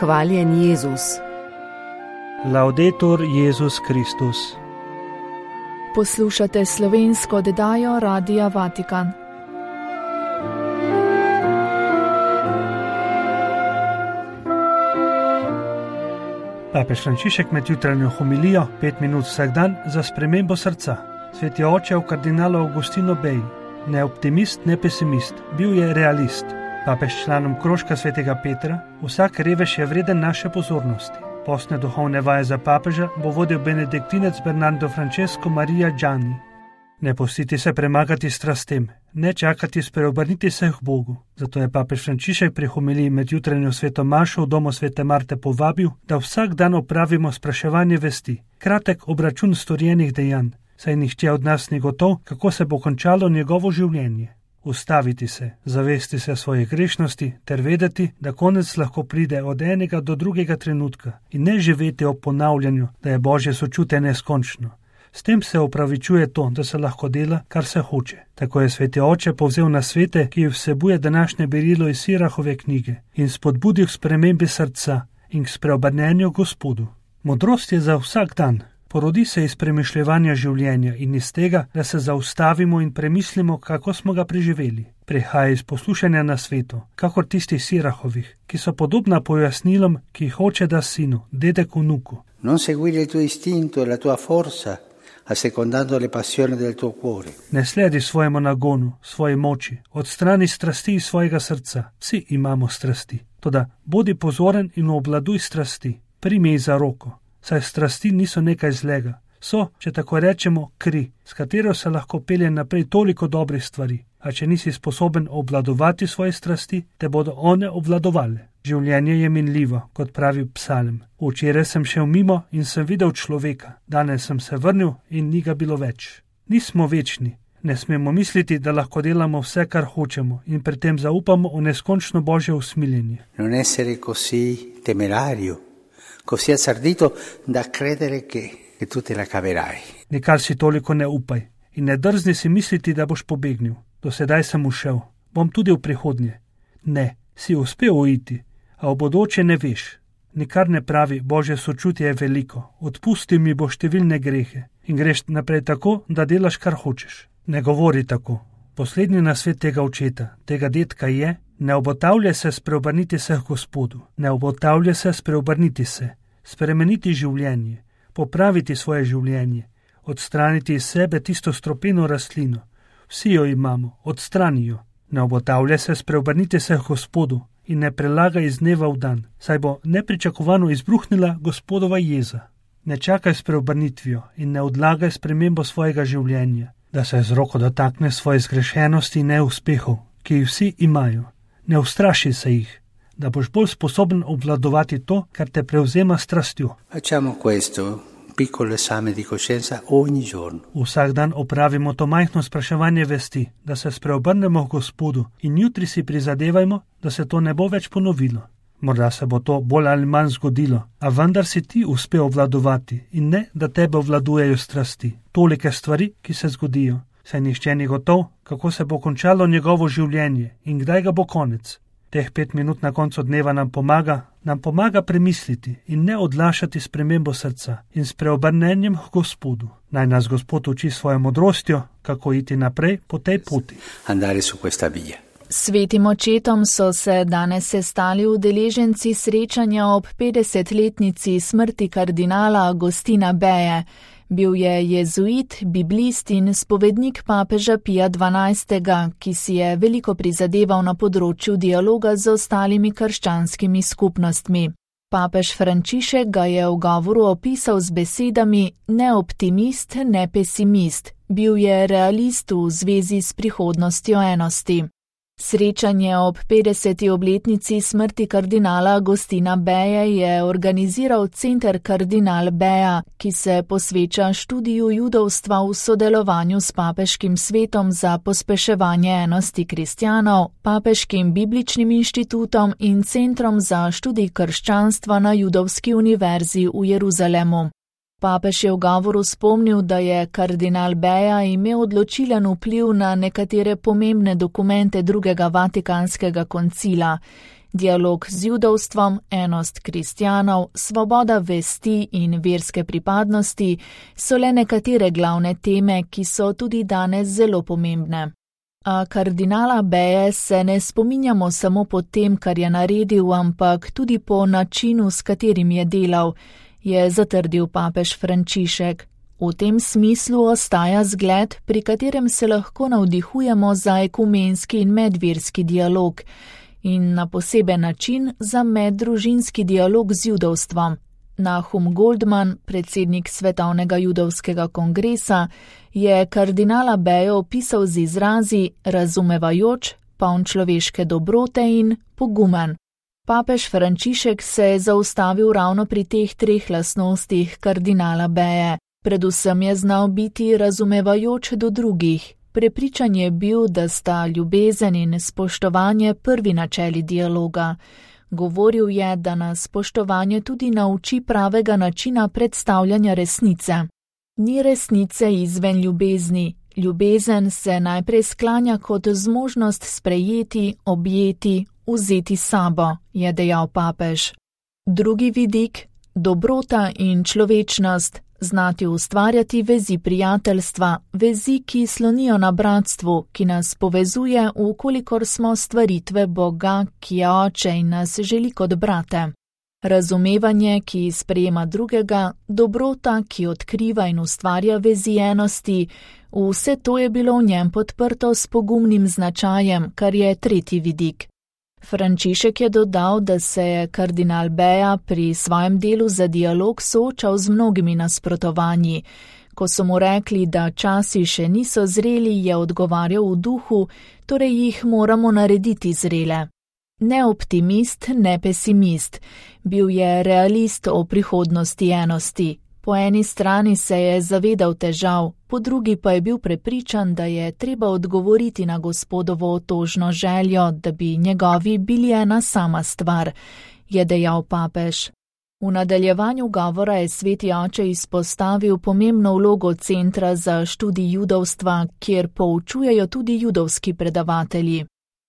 Hvaljen Jezus. Laudetur Jezus Kristus. Poslušate slovensko oddajo Radia Vatikan. Papež Frančišek med jutranjo homilijo 5 minut vsak dan za spremembo srca. Sveti oče v kardinalu Augustinu Beji, ne optimist, ne pesimist, bil je realist. Papež članom krožka svetega Petra, vsak revež je vreden naše pozornosti. Postne duhovne vaje za papeža bo vodil benediktinec Bernardo Francesco Maria Gianni. Ne pustiti se premagati strastem, ne čakati spreobrniti se k Bogu. Zato je papež Frančišek pri homiliji med jutranjo sveto mašo v domu svete Marte povabil, da vsak dan opravimo spraševanje vesti, kratek obračun storjenih dejanj, saj nihče od nas ni gotov, kako se bo končalo njegovo življenje. Ustaviti se, zavesti se svojih grešnosti ter vedeti, da konec lahko pride od enega do drugega trenutka in ne živeti ob ponavljanju, da je Božje sočutje neskončno. S tem se opravičuje to, da se lahko dela, kar se hoče. Tako je sveti oče povzel nasvete, ki vsebuje današnje berilo iz Sirahove knjige in spodbudil k spremembi srca in k spreobrnenju Gospodu. Modrost je za vsak dan. Porodi se iz premišljevanja življenja in iz tega, da se zaustavimo in premislimo, kako smo ga preživeli. Prihaja iz poslušanja na svetu, kakor tistih Sirahovih, ki so podobna pojasnilom, ki jih oče da sinu, dedek vnuku. Non seguire il tuo istinto e la tua forza, assecondando le passioni del tuo cuore. Ne sledi svojemu nagonu, svoji moči, odstrani strasti iz svojega srca. Vsi imamo strasti. Toda bodi pozoren in obvladuj strasti. Primi jih za roko. Saj strasti niso nekaj zlega. So, če tako rečemo, kri, s katero se lahko pelje naprej toliko dobrih stvari. A če nisi sposoben obvladovati svoje strasti, te bodo one obvladovale. Življenje je minljivo, kot pravi psalm. Včeraj sem šel mimo in sem videl človeka. Danes sem se vrnil in ni ga bilo več. Nismo večni. Ne smemo misliti, da lahko delamo vse, kar hočemo in pri tem zaupamo v neskončno Božje usmiljenje. Non essere così temerario, così azzardito da credere che tu te la caverai. Nikar si toliko ne upaj in ne drzni si misliti, da boš pobegnil. Do sedaj sem ušel, bom tudi v prihodnje. Ne, si uspel uiti, a v bodoče ne veš. Nikar ne pravi, Božje sočutje je veliko, odpusti mi bo številne grehe in greš naprej tako, da delaš, kar hočeš. Ne govori tako. Poslednji nasvet tega očeta, tega dedka je, ne obotavlja se spreobrniti se k Gospodu, ne obotavlja se spreobrniti se, spremeniti življenje, popraviti svoje življenje, odstraniti iz sebe tisto stropeno rastlino. Vsi jo imamo, odstrani jo. Ne obotavlja se spreobrniti se k Gospodu in ne prelaga iz dneva v dan, saj bo nepričakovano izbruhnila Gospodova jeza. Ne čakaj s preobrnitvijo in ne odlagaj spremembo svojega življenja, da se z roko dotakne svoje zgrešenosti in neuspehov, ki jih vsi imajo. Ne ustraši se jih, da boš bolj sposoben obvladovati to, kar te prevzema strastjo. Facciamo questo piccolo esame di coscienza ogni giorno. Vsak dan opravimo to majhno spraševanje vesti, da se spreobrnemo k Gospodu in jutri si prizadevajmo, da se to ne bo več ponovilo. Morda se bo to bolj ali manj zgodilo, a vendar si ti uspel obvladovati in ne, da tebe obvladujejo strasti. Tolike stvari, ki se zgodijo, saj nihče ni gotov, kako se bo končalo njegovo življenje in kdaj ga bo konec. Teh 5 minut na koncu dneva nam pomaga premisliti in ne odlašati spremembo srca in s preobrnenjem k Gospodu. Naj nas Gospod uči svojo modrostjo, kako iti naprej po tej poti. Andare su questa via. Svetim očetom so se danes sestali udeleženci srečanja ob 50-letnici smrti kardinala Agustina Beje. Bil je jezuit, biblist in spovednik papeža Pija XII., ki si je veliko prizadeval na področju dialoga z ostalimi krščanskimi skupnostmi. Papež Frančišek ga je v govoru opisal z besedami ne optimist, ne pesimist. Bil je realist v zvezi s prihodnostjo enosti. Srečanje ob 50. obletnici smrti kardinala Agustina Beje je organiziral Center Kardinal Beja, ki se posveča študiju judovstva v sodelovanju s Papeškim svetom za pospeševanje enosti kristjanov, Papeškim bibličnim inštitutom in Centrom za študij krščanstva na Judovski univerzi v Jeruzalemu. Papež je v govoru spomnil, da je kardinal Beja imel odločilen vpliv na nekatere pomembne dokumente drugega Vatikanskega koncila. Dialog z judovstvom, enost kristjanov, svoboda vesti in verske pripadnosti so le nekatere glavne teme, ki so tudi danes zelo pomembne. A kardinala Beje se ne spominjamo samo po tem, kar je naredil, ampak tudi po načinu, s katerim je delal, je zatrdil papež Frančišek. V tem smislu ostaja zgled, pri katerem se lahko navdihujemo za ekumenski in medverski dialog in na poseben način za meddružinski dialog z judovstvom. Nahum Goldman, predsednik Svetovnega judovskega kongresa, je kardinala Bejo opisal z izrazi razumevajoč, poln človeške dobrote in pogumen. Papež Frančišek se je zaustavil ravno pri teh treh lastnostih kardinala Beje. Predvsem je znal biti razumevajoč do drugih. Prepričan je bil, da sta ljubezen in spoštovanje prvi načeli dialoga. Govoril je, da nas spoštovanje tudi nauči pravega načina predstavljanja resnice. Ni resnice izven ljubezni. Ljubezen se najprej sklanja kot zmožnost sprejeti, objeti, vzeti sabo, je dejal papež. Drugi vidik, dobrota in človečnost, znati ustvarjati vezi prijateljstva, vezi, ki slonijo na bratstvu, ki nas povezuje, vkolikor smo stvaritve Boga, ki je oče in nas želi kot brate. Razumevanje, ki sprejema drugega, dobrota, ki odkriva in ustvarja vezi enosti, vse to je bilo v njem podprto s pogumnim značajem, kar je tretji vidik. Frančišek je dodal, da se je kardinal Beja pri svojem delu za dialog soočal z mnogimi nasprotovanji. Ko so mu rekli, da časi še niso zreli, je odgovarjal v duhu, torej jih moramo narediti zrele. Ne optimist, ne pesimist. Bil je realist o prihodnosti enosti. Po eni strani se je zavedal težav, po drugi pa je bil prepričan, da je treba odgovoriti na Gospodovo otožno željo, da bi njegovi bili ena sama stvar, je dejal papež. V nadaljevanju govora je sveti oče izpostavil pomembno vlogo Centra za študij judovstva, kjer poučujejo tudi judovski predavatelji.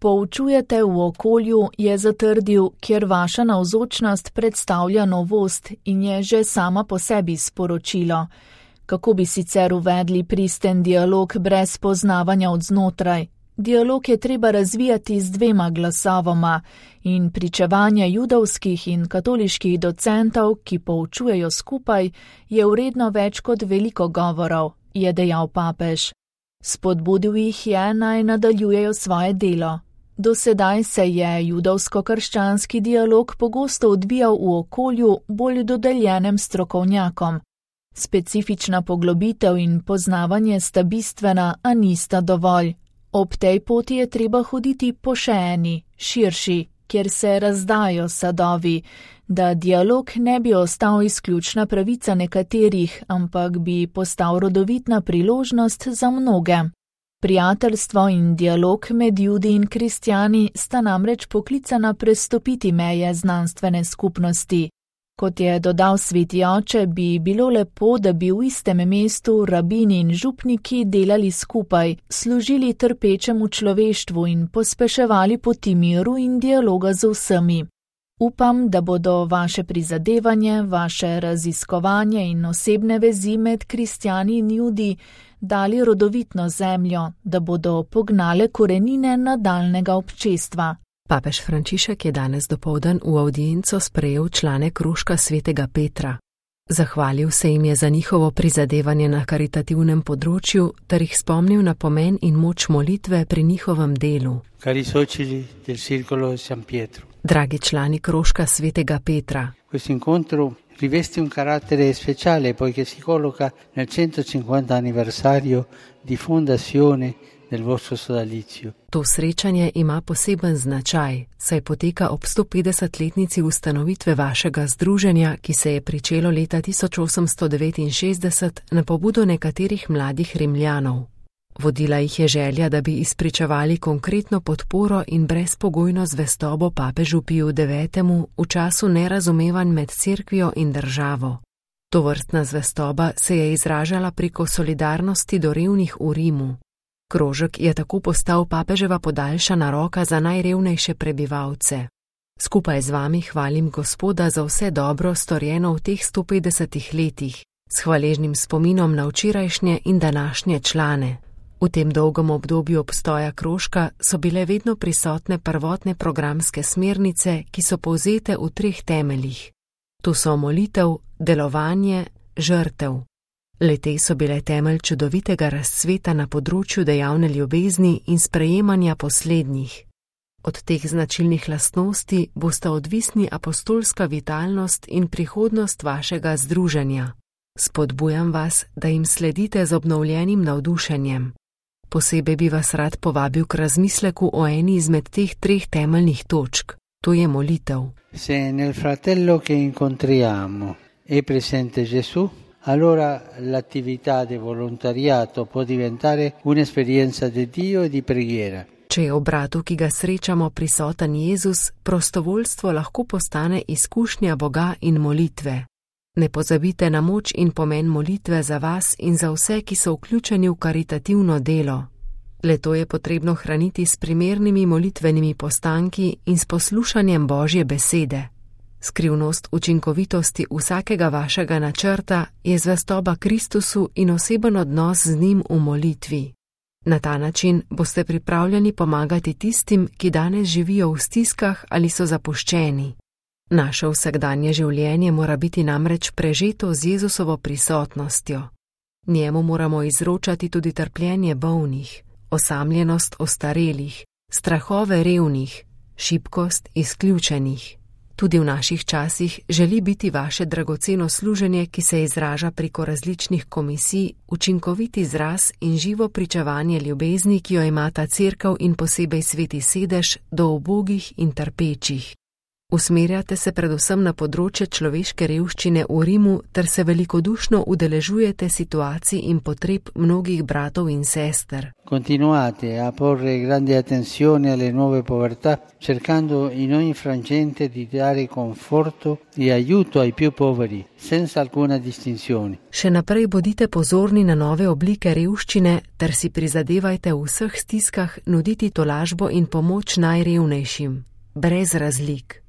Poučujete v okolju, je zatrdil, kjer vaša navzočnost predstavlja novost in je že sama po sebi sporočilo. Kako bi sicer uvedli pristen dialog brez poznavanja od znotraj? Dialog je treba razvijati z dvema glasovoma in pričevanje judovskih in katoliških docentov, ki poučujejo skupaj, je vredno več kot veliko govorov, je dejal papež. Spodbudil jih je, naj nadaljujejo svoje delo. Do sedaj se je judovsko-krščanski dialog pogosto odvijal v okolju bolj dodeljenem strokovnjakom. Specifična poglobitev in poznavanje sta bistvena, a nista dovolj. Ob tej poti je treba hoditi po še eni, širši, kjer se razdajo sadovi, da dialog ne bi ostal izključna pravica nekaterih, ampak bi postal rodovitna priložnost za mnoge. Prijateljstvo in dialog med Judi in kristjani sta namreč poklicana prestopiti meje znanstvene skupnosti. Kot je dodal sveti oče, bi bilo lepo, da bi v istem mestu rabini in župniki delali skupaj, služili trpečemu človeštvu in pospeševali poti miru in dialoga z vsemi. Upam, da bodo vaše prizadevanje, vaše raziskovanje in osebne vezi med kristjani in Judi dali rodovitno zemljo, da bodo pognale korenine nadaljnega občestva. Papež Frančišek je danes dopoldan v avdienco sprejel člane krožka svetega Petra. Zahvalil se jim je za njihovo prizadevanje na karitativnem področju, ter jih spomnil na pomen in moč molitve pri njihovem delu. Cari soci del Circolo San Pietro. Dragi člani krožka svetega Petra. Questo incontro riveste un carattere speciale poiché si colloca nel 150 anniversario di fondazione del vostro sodalizio. To srečanje ima poseben značaj, saj poteka ob 150-letnici ustanovitve vašega združenja, ki se je pričelo leta 1869 na pobudo nekaterih mladih Rimljanov. Vodila jih je želja, da bi izpričevali konkretno podporo in brezpogojno zvestobo papežu Piju IX. V času nerazumevanj med cerkvijo in državo. Tovrstna zvestoba se je izražala preko solidarnosti do revnih v Rimu. Krožek je tako postal papeževa podaljšana roka za najrevnejše prebivalce. Skupaj z vami hvalim Gospoda za vse dobro storjeno v teh 150 letih, s hvaležnim spominom na včerajšnje in današnje člane. V tem dolgem obdobju obstoja krožka so bile vedno prisotne prvotne programske smernice, ki so povzete v 3 temeljih. To so molitev, delovanje, žrtev. Le-te so bile temelj čudovitega razcveta na področju dejavne ljubezni in sprejemanja poslednjih. Od teh značilnih lastnosti bosta odvisni apostolska vitalnost in prihodnost vašega združenja. Spodbujam vas, da jim sledite z obnovljenim navdušenjem. Posebej bi vas rad povabil k razmisleku o eni izmed teh 3 temeljnih točk, to je molitev. Se nel fratello che incontriamo è presente Gesù, allora l'attività di volontariato può diventare un'esperienza di Dio e di preghiera. Če je v bratu, ki ga srečamo, prisoten Jezus, prostovoljstvo lahko postane izkušnja Boga in molitve. Ne pozabite na moč in pomen molitve za vas in za vse, ki so vključeni v karitativno delo. Le-to je potrebno hraniti s primernimi molitvenimi postanki in s poslušanjem Božje besede. Skrivnost učinkovitosti vsakega vašega načrta je zvestoba Kristusu in oseben odnos z njim v molitvi. Na ta način boste pripravljeni pomagati tistim, ki danes živijo v stiskah ali so zapuščeni. Naše vsakdanje življenje mora biti namreč prežeto z Jezusovo prisotnostjo. Njemu moramo izročati tudi trpljenje bolnih, osamljenost ostarelih, strahove revnih, šibkost izključenih. Tudi v naših časih želi biti vaše dragoceno služenje, ki se izraža preko različnih komisij, učinkovit izraz in živo pričevanje ljubezni, ki jo imata Cerkev in posebej Sveti sedež do ubogih in trpečih. Usmerjate se predvsem na področje človeške revščine v Rimu ter se velikodušno udeležujete situacij in potreb mnogih bratov in sester. Continuate a porre grande attenzione alle nuove povertà, cercando in ogni frangente di dare conforto e aiuto ai più poveri, senza alcuna distinzione. Še naprej bodite pozorni na nove oblike revščine ter si prizadevajte v vseh stiskah nuditi tolažbo in pomoč najrevnejšim, brez razlik.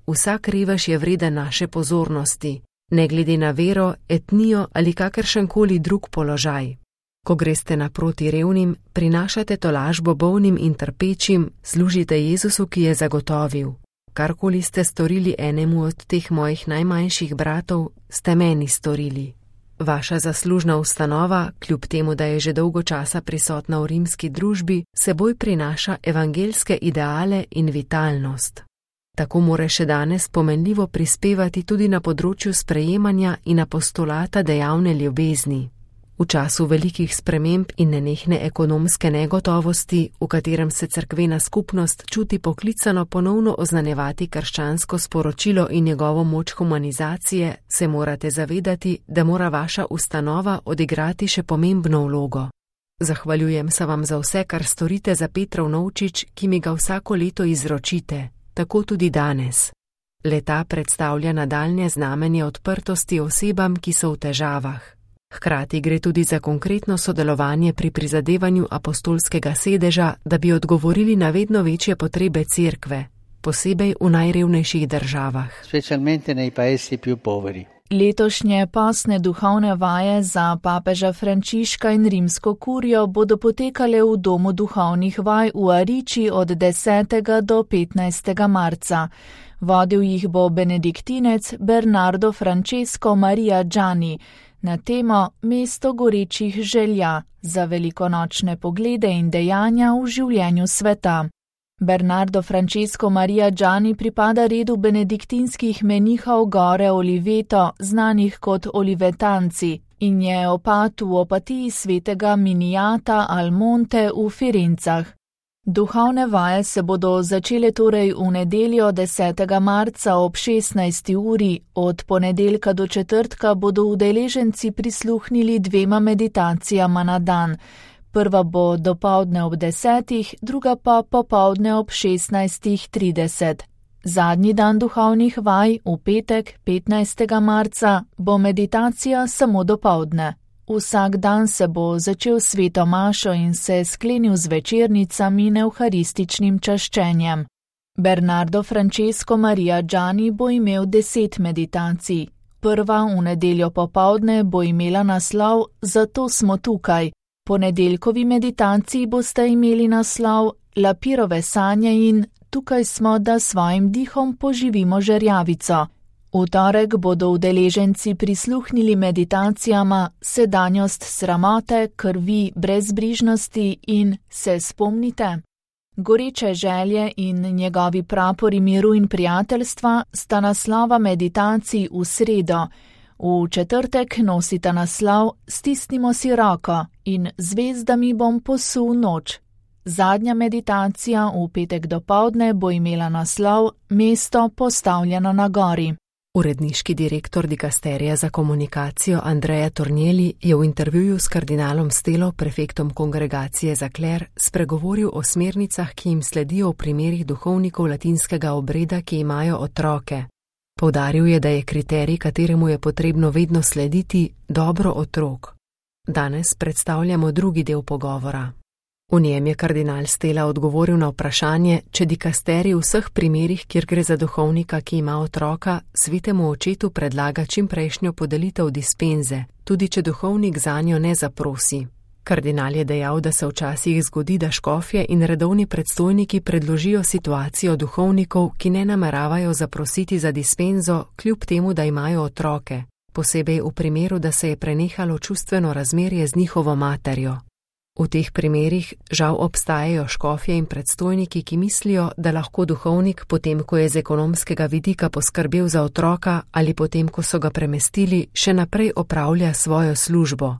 Vsak revež je vreden naše pozornosti, ne glede na vero, etnijo ali kakršenkoli drug položaj. Ko greste naproti revnim, prinašate tolažbo bolnim in trpečim, služite Jezusu, ki je zagotovil. Karkoli ste storili enemu od teh mojih najmanjših bratov, ste meni storili. Vaša zaslužna ustanova, kljub temu, da je že dolgo časa prisotna v rimski družbi, seboj prinaša evangeljske ideale in vitalnost. Tako more še danes pomenljivo prispevati tudi na področju sprejemanja in apostolata dejavne ljubezni. V času velikih sprememb in nenehne ekonomske negotovosti, v katerem se cerkvena skupnost čuti poklicano ponovno oznanjevati krščansko sporočilo in njegovo moč humanizacije, se morate zavedati, da mora vaša ustanova odigrati še pomembno vlogo. Zahvaljujem se vam za vse, kar storite za Petrov novčič, ki mi ga vsako leto izročite. Tako tudi danes. Le-ta predstavlja nadaljnje znamenje odprtosti osebam, ki so v težavah. Hkrati gre tudi za konkretno sodelovanje pri prizadevanju apostolskega sedeža, da bi odgovorili na vedno večje potrebe cerkve, posebej v najrevnejših državah. Specialmente nei paesi più poveri. Letošnje pasne duhovne vaje za papeža Frančiška in rimsko kurijo bodo potekale v domu duhovnih vaj v Ariči od 10. do 15. marca. Vodil jih bo benediktinec Bernardo Francesco Maria Gianni na temo Mesto gorečih želja za velikonočne poglede in dejanja v življenju sveta. Bernardo Francesco Maria Gianni pripada redu benediktinskih menihov gore Oliveto, znanih kot olivetanci, in je opat v opatiji svetega Miniata al Monte v Firencah. Duhovne vaje se bodo začele torej v nedeljo 10. marca ob 16. uri, od ponedeljka do četrtka bodo udeleženci prisluhnili 2 meditacijama na dan. Prva bo dopoldne ob 10, druga pa popoldne ob 16:30. Zadnji dan duhovnih vaj, v petek, 15. marca, bo meditacija samo dopoldne. Vsak dan se bo začel sveto mašo in se sklenil z večernicami in evharističnim čaščenjem. Bernardo Francesco Maria Gianni bo imel 10 meditacij. Prva v nedeljo popoldne bo imela naslov Zato smo tukaj. Po nedeljkovi meditaciji boste imeli naslov Lapirove sanje in Tukaj smo, da svojim dihom poživimo žerjavico. V torek bodo udeleženci prisluhnili meditacijama Sedanjost sramote, krvi, brezbrižnosti in Se spomnite. Goreče želje in njegovi prapori miru in prijateljstva sta naslova meditacij v sredo. V četrtek nosita naslov Stisnimo si roko in Zvezdami bom posul noč. Zadnja meditacija v petek dopoldne bo imela naslov Mesto postavljeno na gori. Uredniški direktor dikasterija za komunikacijo Andrea Tornielli je v intervjuju s kardinalom Stelo, prefektom kongregacije za kler, spregovoril o smernicah, ki jim sledijo v primerih duhovnikov latinskega obreda, ki imajo otroke. Poudaril je, da je kriterij, kateremu je potrebno vedno slediti, dobro otrok. Danes predstavljamo drugi del pogovora. V njem je kardinal Stela odgovoril na vprašanje, če dikasterij v vseh primerih, kjer gre za duhovnika, ki ima otroka, svetemu očetu predlaga čimprejšnjo podelitev dispenze, tudi če duhovnik zanjo ne zaprosi. Kardinal je dejal, da se včasih zgodi, da škofje in redovni predstojniki predložijo situacijo duhovnikov, ki ne nameravajo zaprositi za dispenzo, kljub temu, da imajo otroke, posebej v primeru, da se je prenehalo čustveno razmerje z njihovo materjo. V teh primerih žal obstajajo škofje in predstojniki, ki mislijo, da lahko duhovnik, potem ko je z ekonomskega vidika poskrbel za otroka ali potem ko so ga premestili, še naprej opravlja svojo službo.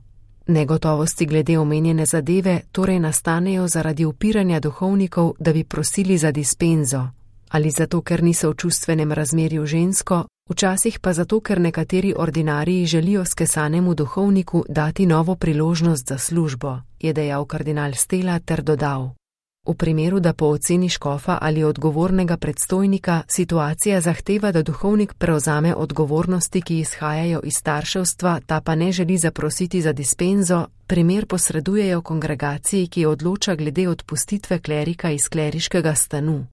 Negotovosti glede omenjene zadeve torej nastanejo zaradi upiranja duhovnikov, da bi prosili za dispenzo. Ali zato, ker niso v čustvenem razmerju žensko, včasih pa zato, ker nekateri ordinariji želijo skesanemu duhovniku dati novo priložnost za službo, je dejal kardinal Stela ter dodal. V primeru, da po oceni škofa ali odgovornega predstojnika situacija zahteva, da duhovnik prevzame odgovornosti, ki izhajajo iz starševstva, ta pa ne želi zaprositi za dispenzo, primer posredujejo kongregaciji, ki odloča glede odpustitve klerika iz kleriškega stanu.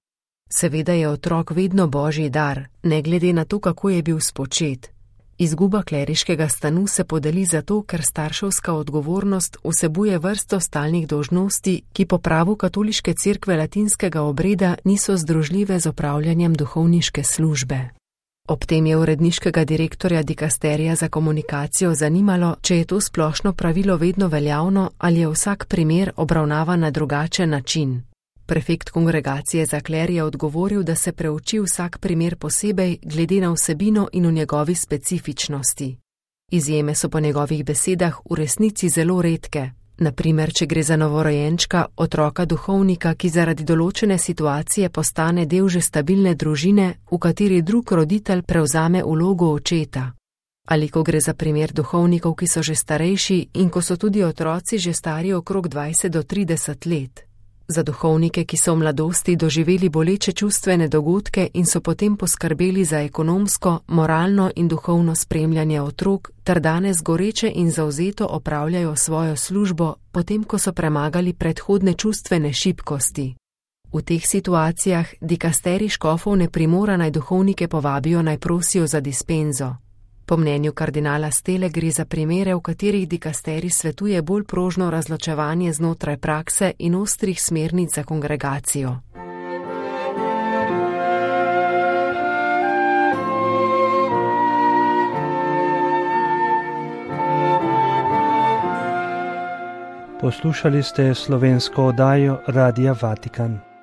Seveda je otrok vedno božji dar, ne glede na to, kako je bil spočet. Izguba kleriškega stanu se podeli zato, ker starševska odgovornost vsebuje vrsto stalnih dolžnosti, ki po pravu katoliške cerkve latinskega obreda niso združljive z opravljanjem duhovniške službe. Ob tem je uredniškega direktorja dikasterija za komunikacijo zanimalo, če je to splošno pravilo vedno veljavno ali je vsak primer obravnavan na drugačen način. Prefekt kongregacije za kler je odgovoril, da se preuči vsak primer posebej glede na vsebino in v njegovi specifičnosti. Izjeme so po njegovih besedah v resnici zelo redke. Na primer, če gre za novorojenčka, otroka duhovnika, ki zaradi določene situacije postane del že stabilne družine, v kateri drug roditelj prevzame vlogo očeta. Ali ko gre za primer duhovnikov, ki so že starejši in ko so tudi otroci že stari okrog 20 do 30 let. Za duhovnike, ki so v mladosti doživeli boleče čustvene dogodke in so potem poskrbeli za ekonomsko, moralno in duhovno spremljanje otrok, ter danes goreče in zavzeto opravljajo svojo službo, potem ko so premagali predhodne čustvene šibkosti. V teh situacijah dikasterij škofov ne primora naj duhovnike povabijo naj prosijo za dispenzo. Po mnenju kardinala Stele gre za primere, v katerih dikasterij svetuje bolj prožno razločevanje znotraj prakse in ostrih smernic za kongregacijo. Poslušali ste slovensko oddajo Radia Vatikan.